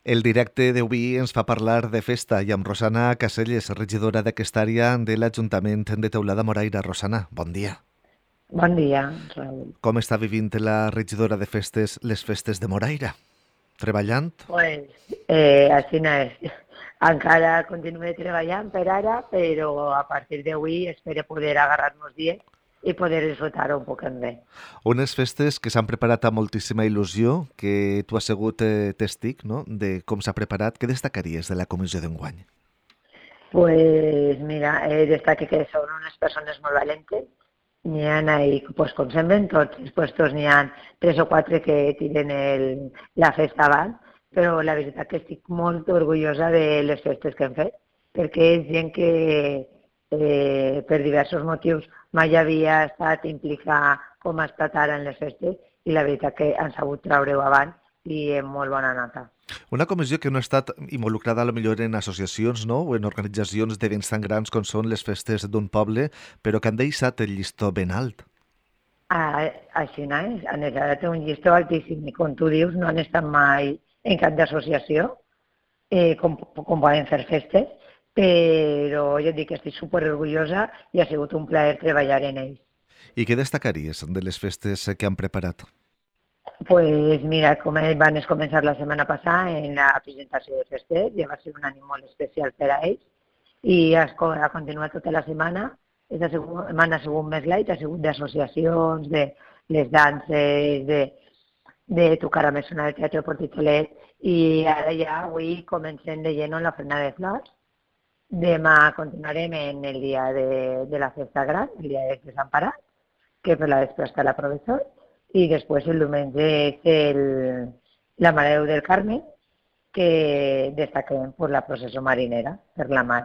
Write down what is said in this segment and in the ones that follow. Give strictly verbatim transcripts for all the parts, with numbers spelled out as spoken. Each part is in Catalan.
El directe d'avui ens fa parlar de festa i amb Rosana Caselles, regidora d'aquesta àrea de l'Ajuntament de Teulada Moraira. Rosana, bon dia. Bon dia, Raül. Com està vivint la regidora de festes les festes de Moraira? Treballant? Pues, eh, així no és. Encara continuo treballant per ara, però a partir d'avui espero poder agarrar-nos dies i poder disfrutar un poc bé. Unes festes que s'han preparat amb moltíssima il·lusió, que tu has sigut eh, testic, no?, de com s'ha preparat. Què destacaries de la comissió d'enguany? Pues mira, eh, destaque que són unes persones molt valentes. N'hi ha ahí, pues, com semblen tots els puestos, n'hi ha tres o quatre que tiren el, la festa avant, però la veritat que estic molt orgullosa de les festes que hem fet, perquè és gent que eh, per diversos motius mai havia estat implicada com ha estat ara en les festes i la veritat que han sabut treure-ho avant i amb molt bona nota. Una comissió que no ha estat involucrada a lo millor en associacions, no?, o en organitzacions d'events tan grans com són les festes d'un poble, però que han deixat el llistó ben alt. Ah, així no és, han estat un llistó altíssim i com tu dius no han estat mai en cap d'associació, eh, com, com poden fer festes, però jo et dic que estic superorgullosa i ha sigut un plaer treballar en ells. I què destacaries de les festes que han preparat? Pues mira, com van començar la setmana passada en la presentació de festes, ja va ser un any molt especial per a ells, i ha continuat tota la setmana. Aquesta setmana ha sigut més light, ha sigut d'associacions, de les danses, de, de tocar a més una de teatre Portitolet, i ara ja avui comencem de lleno en la Frenada de Flors. Demà continuarem en el dia de, de la festa gran, el dia de Sant Parat, que per la vespre està la professor, i després el diumenge és el, la Mare de Déu del Carme, que destaquem per la processó marinera, per la mar,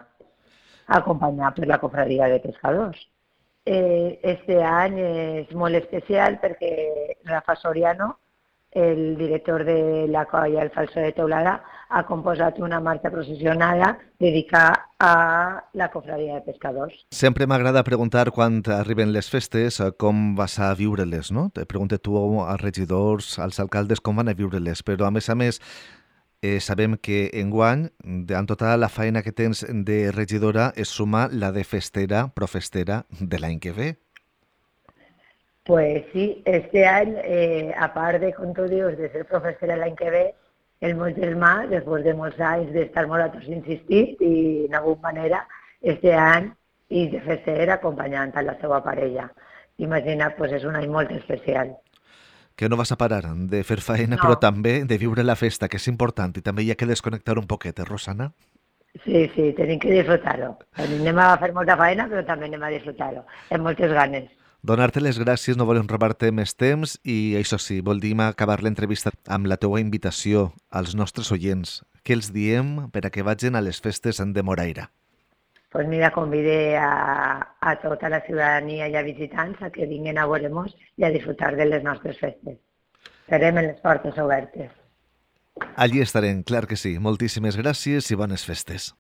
acompanyada per la cofradia de pescadors. Eh, este any és molt especial perquè Rafa Soriano, el director de la colla El Falso de Teulada, ha composat una marxa processionada dedicada a la cofradia de pescadors. Sempre m'agrada preguntar quan arriben les festes com vas a viure-les, no? Te pregunto tu als regidors, als alcaldes com van a viure-les, però a més a més eh, sabem que enguany, amb tota la feina que tens de regidora, es suma la de festera, profestera de l'any que ve. Pues sí, este any, eh, a part de, com tu dius, de ser professora l'any que ve, el meu germà, després de molts anys d'estar molt a tots insistint i d'alguna manera, este any, i de fer ser acompanyant a la seva parella. Imagina't, pues és un any molt especial. Que no vas a parar de fer feina, No. però també de viure la festa, que és important, i també hi ha que desconnectar un poquet, eh, Rosana? Sí, sí, tenim que disfrutar-ho. Anem a fer molta feina, però també anem a disfrutar-ho, amb moltes ganes. Donar-te les gràcies, no volem robar-te més temps i això sí, voldríem acabar l'entrevista amb la teua invitació als nostres oients. Què els diem per a que vagin a les festes de Moraira? Pues mira, convide a, a tota la ciutadania i a visitants a que vinguin a veure-nos i a disfrutar de les nostres festes. Estarem en les portes obertes. Allí estarem, clar que sí. Moltíssimes gràcies i bones festes.